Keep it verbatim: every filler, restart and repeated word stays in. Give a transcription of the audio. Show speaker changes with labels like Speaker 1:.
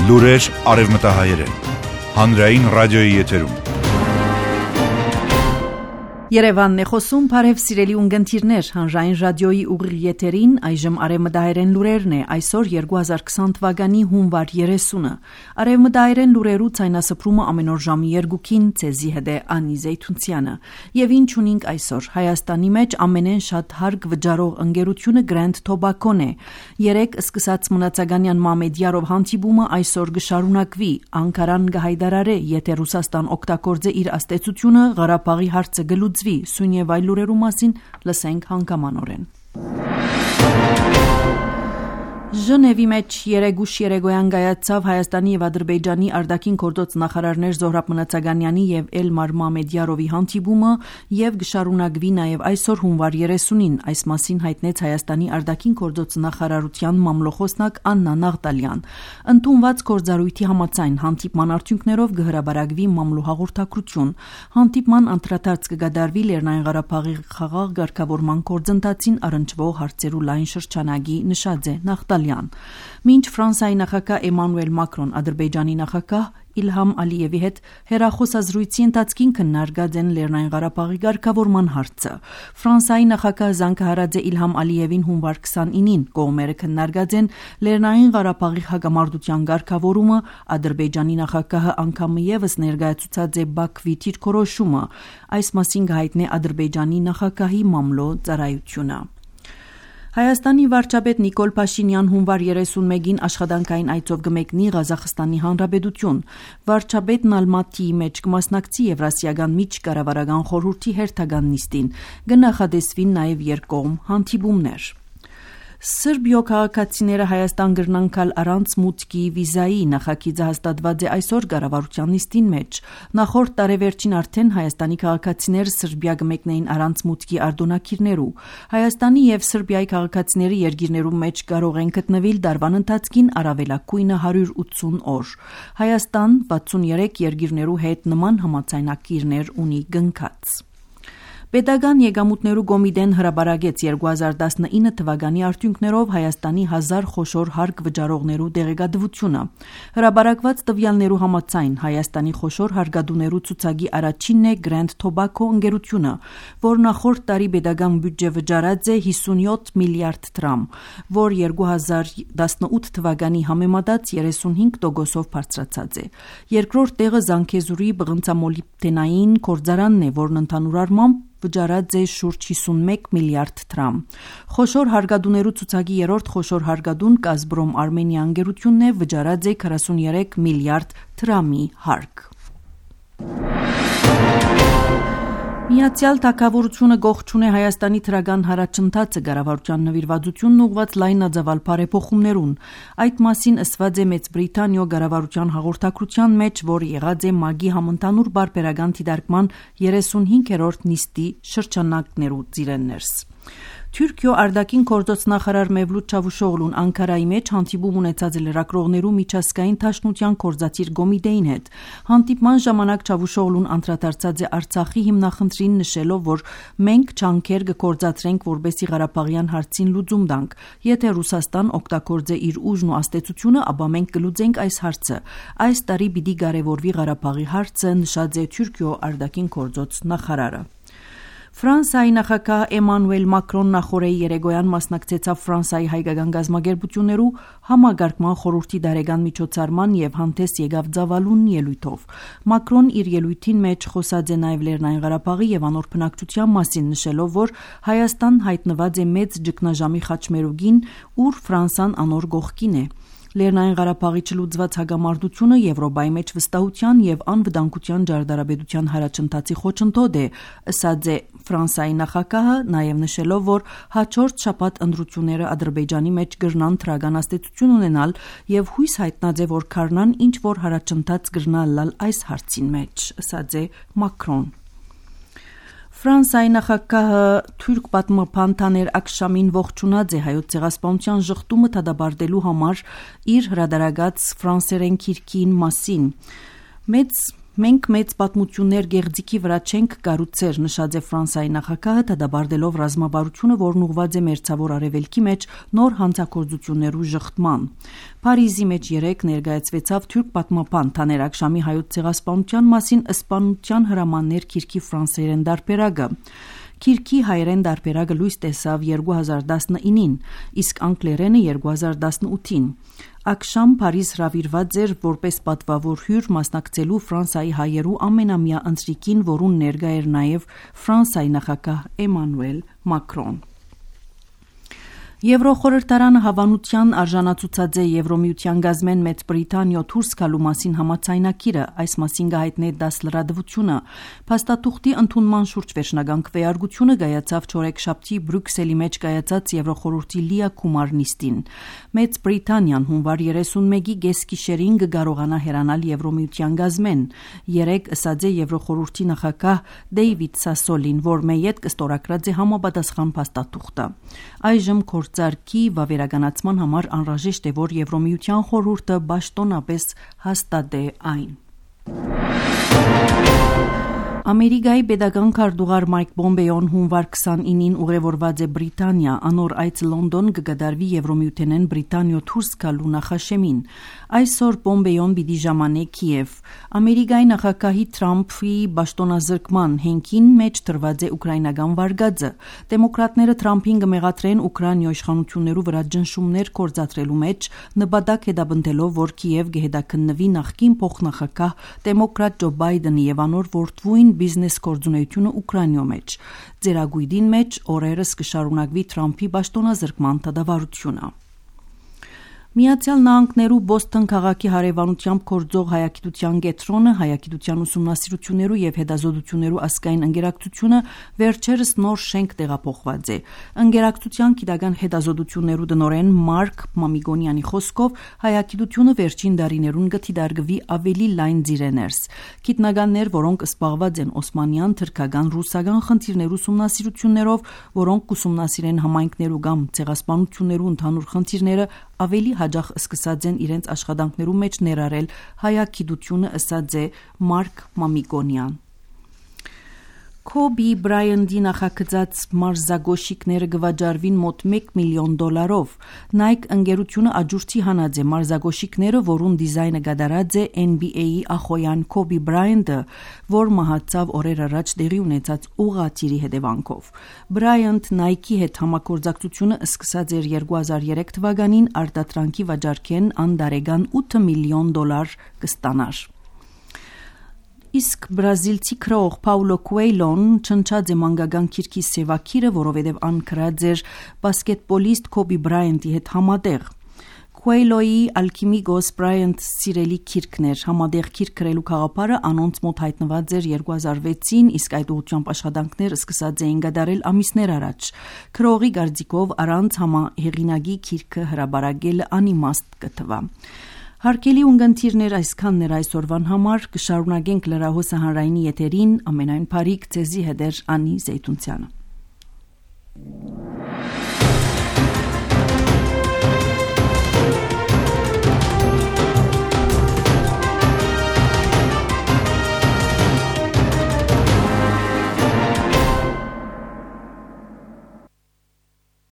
Speaker 1: Լուրեր արևմտահայերեն։ Հանրային ռադիոյի եթերում։
Speaker 2: Երևանն է խոսում, բարև սիրելի ունգընտիրներ, հանրային ռադիոյի ուղիղ եթերին, այժմ արևմտահայերեն լուրերն է, այսօր երկու հազար քսան թվականի հունվար երեսունը։ Արևմտահայերեն լուրերու ցայնասփռումը ամեն օր ժամի երկուքին ցեզի հետ է Անի Զեյթունցյանը։ Եվ ինչ ունենք այսօր, Հայաստանի մեջ ամենեն շատ հարկ վճարող ընկերությունը Grand Tobacco-ն է։ Երեք սկսած մնացականյան Մամեդյարով հանդիպումը այսօր կշարունակվի, Անկարան կհայտարարի, եթե Ռուսաստան օգտագործե իր աստեցությունը, Ղարաբաղի հարցը կլուծվի, սույն եւ այլ լուրերու մասին լսենք հանգամանորեն։ Ժնևի մեջ երեգուշ երեգոյան գայացավ Հայաստանի եւ Ադրբեջանի արտաքին գործոց նախարարներ Զոհրաբ Մնացականյանի եւ Էլմար Մամեդյարովի հանդիպումը եւ գշարունակվի նաեւ այսօր հունվար երեսունին, այս մասին հայտնեց Հայաստանի արտաքին գործոց նախարարության մամլոխոսնակ Աննա Նաղդալյան։ Ընդունված գործառույթի համաձայն հանդիպման արդյունքներով կհրաբարակվի մամլո հաղորդակցություն։ Հանդիպման անդրադարձ կգադարվի Լեռնային Ղարաբաղի խաղաղ ղեկավարման գործընթացին առնչվող հարցերու լայն շրջանագի, նշած է Նաղդալյան։ Մինչ Ֆրանսիայի նախագահ Էմանուել Մակրոն Ադրբեջանի նախագահ Իլհամ Ալիևի հետ հեռախոսազրույցի ընթացքին քննարկած են Լեռնային Ղարաբաղի ղեկավարման հարցը։ Ֆրանսիայի նախագահ Զանգահարաձե Իլհամ Ալիևին հունվար քսանինին կողմերը քննարկած են Լեռնային Ղարաբաղի հակամարտության ղեկավարումը, Ադրբեջանի նախագահը անգամ եւս ներկայացուցած է Բաքվի դիրքորոշումը։ Այս մասին կհայտնի Ադրբեջանի նախագահի մամլո ծառայությունը։ Հայաստանի վարչապետ Նիկոլ Փաշինյան հունվար երեսունմեկին աշխատանքային այցով կմեկնի Ղազախստանի Հանրապետություն։ Վարչապետն Ալմատիի մեջ կմասնակցի Եվրասիական միջկառավարական խորհրդի հերթական նիստին, կնախադեсվին նաև երկկողմ հանդիպումներ։ Սրբիո քաղաքացիները Հայաստան կրնան գալ առանց մուտքի վիզայի, նախագիծը հաստատված է այսօր կառավարության նիստին մեջ։ Նախորդ տարեվերջին արդեն Հայաստանի քաղաքացիները Սրբիա կմեկնեին առանց մուտքի արտոնակիրներու։ Հայաստանի եւ Սրբիայի քաղաքացիները երկիրներու մեջ կարող են գտնվել դարվան ընթացքին առավելագույնը հարյուր ութսուն օր։ Հայաստան վաթսունյերեք երկիրներու հետ նման համաձայնագիրներ ունի կնքած։ Պետական եկամուտներու կոմիտեն հրաբարակեց երկու հազար տասնինը թվականի արդյունքներով Հայաստանի հազար խոշոր հարկ վճարողներու տեղեկատվությունը։ Հրաբարակված տվյալներու համաձայն Հայաստանի խոշոր հարկադուներու ցուցակի առաջինն է Grand Tobacco ընկերությունը, որ նախորդ տարի պետական բյուջե վճարած է հիսունյոթ միլիարդ դրամ, որ երկու հազար տասնութ թվականի համեմատած երեսունհինգ տոկոսով բարձրացած է։ Երկրորդ տեղը Զանգեզուրի բղնցամոլիբդենային գործարանն է, որն ընդհանուր առմամբ վճարած է շուրջ հիսունմեկ միլիարդ դրամ։ Խոշոր հարկադուներու ցուցակի երրորդ խոշոր հարկադուն Գազպրոմ Արմենիա ընկերությունն է, վճարած է քառասունյերեք միլիարդ դրամի հարկ։ Միացյալ Թագավորությունը գողջուն է Հայաստանի թրական հարաճընթացը կառավարության նվիրվածությունն ուղղված լայնածավալ բարեփոխումներուն։ Այդ մասին ասված է Մեծ Բրիտանիո կառավարության հաղորդակցության մեջ, որ եղած է ՄԱԳ-ի համընդհանուր բարբերական դիտարկման երեսունհինգերորդ նիստի շրջանակներու ծիրեններս։ Թուրքիո արտաքին գործոց նախարար Մևլութ Չավուշօղլուն Անկարայի մեջ հանդիպում ունեցած լրագրողներու միջազգային դաշնության կորզաթիր կոմիտեին հետ։ Հանդիպման ժամանակ Չավուշօղլուն անդրադարձած է Արցախի հիմնախնդրին, նշելով, որ մենք ջանքեր կգործադրենք, որբեսի Ղարաբաղյան հարցին լուծում տանք։ Եթե Ռուսաստան օգտագործե իր ուժն ու աստեցությունը, ապա մենք կլուծենք այս հարցը։ Այս տարի պիտի կարևորվի Ղարաբաղի հարցը, նշած է Թուրքիո արտաքին գործոց նախարարը։ Ֆրանսիայի նախագահ Էմանուել Մակրոն նախորեի երեգոյան մասնակցեցավ Ֆրանսիայի հայկական գազམ་ագերբություններու համագարկման խորհրդի դարեգան միջոցառման եւ հանդես եկավ ծավալուն ելույթով։ Մակրոն իր ելույթին մեջ խոսած է նաեւ Լեռնային Ղարաբաղի եւ անոր բնակչության մասին, նշելով, որ Հայաստան հայտնված է մեծ ճգնաժամի խաչմերուգին, ուր Ֆրանսան անոր կողքին է։ Լեռնային Ղարաբաղի չլուծված հակամարտությունը Եվրոպայի մեջ վստահության եւ անվտանգության ջարդարաբեդության հարաճընթացի խոչընդոտ է, ասած է Ֆրանսիայի նախագահը, նաեւ նշելով, որ հաջորդ շաբաթ ընտրությունները Ադրբեջանի մեջ կրնան թրական աստեցություն ունենալ եւ հույս հայտնած է, որ քարնան ինչ որ հարաճընթաց կրնալ լալ այս հարցին մեջ, ասած է Մակրոն։ Ֆրանսիայի նախագահը թուրք պատմաբան Թաներ Ակշամին ողջունած է հայոց ցեղասպանության ժխտումը դադարելու համար իր հրադարագած ֆրանսերեն քիրքին մասին։ Մեծ Մենք մեծ պատմություններ գեղձիկի վրա չենք կառուցեր, նշած է Ֆրանսիայի նախագահը, դադարելով ռազմավարությունը, որն ուղղված է մերձավոր արևելքի մեջ նոր հանցագործություններու ժխտման։ Փարիզի մեջ երեկ ներկայացվեցավ թուրք պատմապան Թաներակ Շամի հայոց ցեղասպանության մասին ըսպանության հրամաններ քիրքի ֆրանսերեն դարբերակը։ Քիրքի հայերեն դարբերակը լույս տեսավ երկու հազար տասնինին, իսկ անգլերենը երկու հազար տասնութին։ Ակշամ Փարիզ հրավիրված էր որպես պատվավոր հյուր մասնակցելու Ֆրանսիայի հայերու ամենամյա ընթրիկին, որուն ներկա էր նաև Ֆրանսիայի նախագահ Էմանուել Մակրոն։ Եվրոխորհրդարանը հավանության արժանացուցած է Եվրոմիության գազմեն Մեծ Բրիտանիա դուրս գալու մասին համաձայնագիրը, այս մասին գահիտնե դաս լրատվությունը։ Փաստաթուղթի ընդունման շուրջ վերջնական քվեարկությունը կայացավ չորեքշաբթի Բրյուսելի մեջ կայացած Եվրոխորհրդի լիակումար նիստին։ Մեծ Բրիտանիան հունվար երեսունմեկի գեսկիշերին կկարողանա հեռանալ Եվրոմիության գազմեն։ Երեկ ըսած է Եվրոխորհրդի նախագահ Դեյվիդ Սասոլին, որ մեյետ կստորագրած է համապատասխան փաստաթուղթը։ Այժմ Գործարքի վավերականացման համար անհրաժեշտ է, որ Եվրոմիության խորհուրդը պաշտոնապես հաստատե այն։ Ամերիկայի պետական քարտուղար Մայք Պոմպեոն հունվար քսանինին ուղևորված է Բրիտանիա, անոր այց Լոնդոն կգդարվի Եվրոմիութենեն Բրիտանիա դուրս գալու նախաշեմին։ Այսօր Պոմպեոն պիտի ժամանե Կիև։ Ամերիկայի նախագահի Թրամփի պաշտոնազրկման հենքին մեջ դրված է ուկրաինական վարկածը։ Դեմոկրատները Թրամփին կմեղադրեն Ուկրաինայի իշխանություններու վրա ճնշումներ կործադրելու մեջ, նպատակ հետապնդելով, որ Կիև կհետաքննվի նախկին փոխնախագահ դեմոկրատ Ջո Բայդենի եւ անոր որդվույն բիզնես գործունեությունը Ուկրաինայում մեջ։ Ձերագույդին մեջ օրերս կշարունակվի Թրամփի պաշտոնազրկման դադարությունը։ Միացյալ Նահանգներու Բոստոն քաղաքի հարևանությամբ գործող հայագիտության կենտրոնը, հայագիտության ուսումնասիրություններու եւ հետազոտություններու ազգային ընկերակցությունը վերջերս նոր շենք տեղափոխված է։ Ընկերակցության գիտական հետազոտություններու տնօրեն Մարկ Մամիգոնյանի խոսքով հայագիտությունը վերջին դարիներուն կդիտարկվի ավելի լայն ձիրեներս։ Գիտնականներ, որոնք զբաղված են օսմանյան, թրքական, ռուսական խնդիրներու ուսումնասիրություններով, որոնք կուսումնասիրեն համայնքներու կամ ցեղասպանություններու ընդհանուր խնդիրները, ավելի հաջող սկսած են իրենց աշխատանքներու մեջ ներառել հայագիտությունը, ըսած է Մարկ Մամիգոնյան։ Քոբի Բրայանտի նախագծած մարզագոշիկները կվաճառվին մոտ մեկ միլիոն դոլարով։ Nike ընկերությունը աջուրցի հանած է մարզագոշիկները, որուն դիզայնը կատարած է N B A-ի ախոյան Քոբի Բրայանտը, որ մահացավ օրեր առաջ տեղի ունեցած ուղղաթիռի հետևանքով։ Բրայանտ Nike-ի հետ համագործակցությունը սկսած էր երկու հազար երեք թվականին, արտադրանքի վաճառքեն անդարեգան ութ միլիոն դոլար կստանար։ Իսկ բրազիլցի քրող Պաուլո Քուեյլոն չնչած է մանկական քիրքի սևակիրը, որովհետև ան քրած էր բասկետբոլիստ Քոբի Բրայանտի հետ համատեղ։ Քուեյլոյի Ալքիմիգոս Բրայանտ սիրելի քիրքն էր, համատեղ քիրք գրելու խաղապարը անոնց մոտ հայտնված էր երկու հազար վեցին, իսկ այդ ուղղությամբ աշխատանքներ սկսած էին կատարել ամիսներ առաջ։ Քրողի կարծիքով առանց համահեղինակի քիրքը հրաբարակելը անիմաստ կթվա։ Հարկելի ունգընթիրներ այսքաններ այսօրվան համար, կշարունակենք լրահոսը հանրայինի եթերին, ամենայն բարիք ձեզի հետ էր Անի Զեյթունցյանը։